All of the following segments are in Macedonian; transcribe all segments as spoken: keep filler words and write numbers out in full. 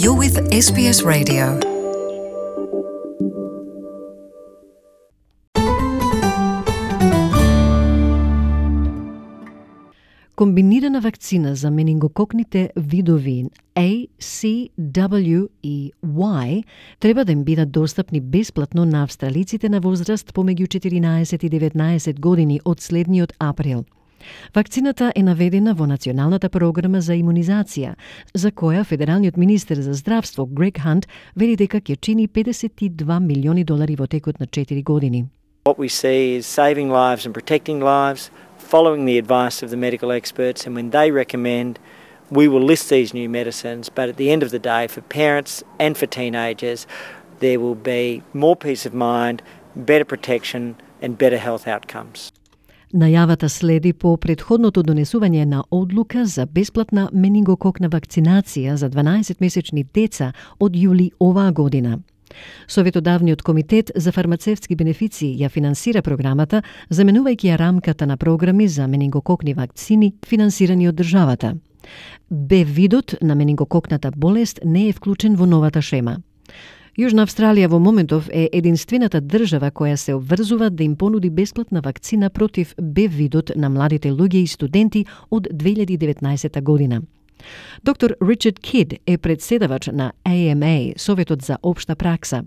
You're with S B S Radio. Комбинирана вакцина за менингококните видови A, C, W и Y треба да им бидат достапни бесплатно на австралиците на возраст помеѓу четиринаесет и деветнаесет години од следниот април. Вакцината е наведена во Националната програма за имунизација, за која федералниот министер за здравство Грег Хант вели дека ќе чини педесет и два милиони долари во текот на четири години. What we see is saving lives and protecting lives, following the advice of the medical experts, and when they recommend, we will list these new medicines, but at the end of the day, for parents and for teenagers, there will be more peace of mind, better protection and better health outcomes. Најавата следи по претходното донесување на одлука за бесплатна менингококна вакцинација за дванаесетмесечни деца од јули оваа година. Советодавниот комитет за фармацевтски бенефиции ја финансира програмата, заменувајќи ја рамката на програми за менингококни вакцини финансирани од државата. Б видот на менингококната болест не е вклучен во новата шема. Јужна Австралија во моментов е единствената држава која се обврзува да им понуди бесплатна вакцина против Б видот на младите луѓе и студенти од две илјади и деветнаесета година. Доктор Ричард Кид е председавач на А М А, Советот за општа пракса.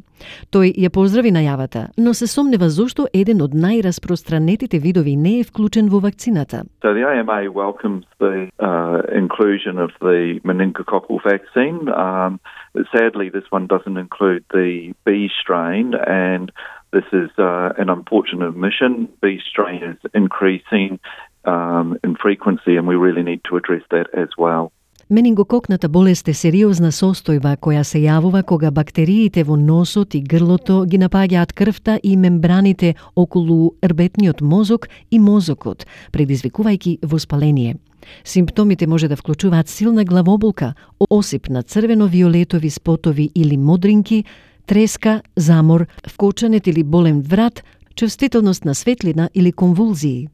Тој ја поздрави најавата, но се сомнева зошто еден од најраспространетите видови не е вклучен во вакцината. So the A M A welcomes the uh, inclusion of the meningococcal vaccine. Um, sadly, this one doesn't include the B strain, and this is uh, an unfortunate omission. B strain is increasing um, in frequency, and we really need to address that as well. Менингококната болест е сериозна состојба која се јавува кога бактериите во носот и грлото ги напаѓаат крвта и мембраните околу рбетниот мозок и мозокот, предизвикувајќи воспаление. Симптомите може да вклучуваат силна главоболка, осип на црвено-виолетови спотови или модринки, треска, замор, вкочанет или болен врат, чувствителност на светлина или конвулзии.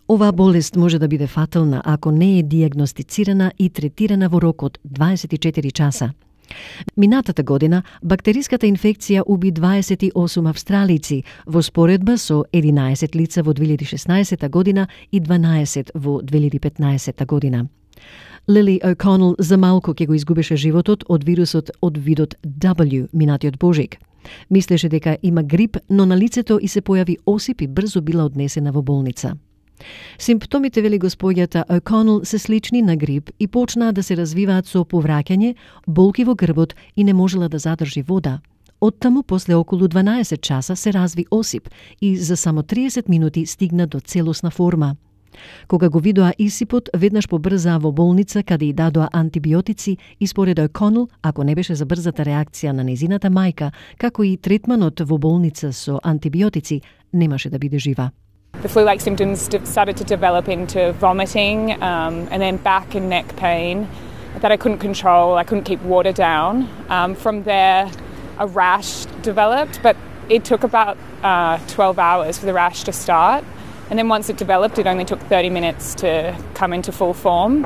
Оваа болест може да биде фатална ако не е диагностицирана и третирана во рок од дваесет и четири часа. Минатата година бактериската инфекција уби дваесет и осум австралици во споредба со единаесет лица во две илјади и шеснаесета година и дванаесет во две илјади и петнаесета година. Лили О'Конел за малку ќе го изгубеше животот од вирусот од видот W минатиот божик. Мислеше дека има грип, но на лицето и се појави осип и брзо била однесена во болница. Симптомите, вели господјата О'Конел, се слични на грип и почнаа да се развиваат со повраќање, болки во грбот и не можела да задржи вода. Оттаму, после околу дванаесет часа, се разви осип и за само триесет минути стигна до целосна форма. Кога го видоа исипот, веднаш побрзаа во болница каде и дадоа антибиотици и според О'Конел, ако не беше за брзата реакција на незината мајка, како и третманот во болница со антибиотици, немаше да биде жива. The flu-like symptoms started to develop into vomiting um, and then back and neck pain that I couldn't control. I couldn't keep water down. Um, from there, a rash developed, but it took about uh, twelve hours for the rash to start. And then once it developed, it only took thirty minutes to come into full form.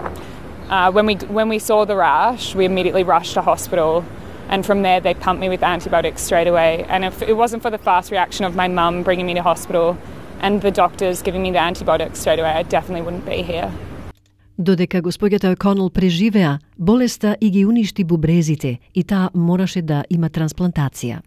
Uh, when we when we saw the rash, we immediately rushed to hospital. And from there, they pumped me with antibiotics straight away. And if it wasn't for the fast reaction of my mum bringing me to hospital and the doctors giving me the antibiotics straight away, I definitely wouldn't be here. Додека господјата О'Конел преживеа, болеста и ги уништи бубрезите и таа мораше да има трансплантација.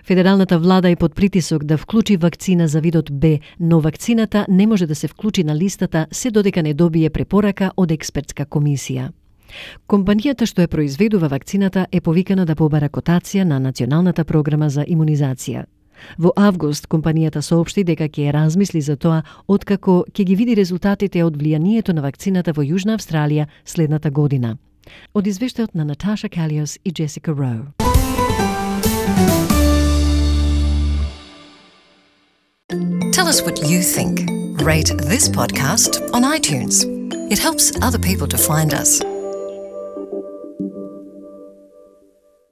Федералната влада е под притисок да вклучи вакцина за видот Б, но вакцината не може да се вклучи на листата се додека не добие препорака од експертска комисија. Компанијата што ја произведува вакцината е повикана да побара котација на Националната програма за имунизација. Во август, компанијата соопшти дека ќе размисли за тоа откако ќе ги види резултатите од влијанието на вакцината во Јужна Австралија следната година. Од извештајот на Наташа Калиос и Джесика Роу. Tell us what you think. Rate this podcast on iTunes. It helps other people to find us.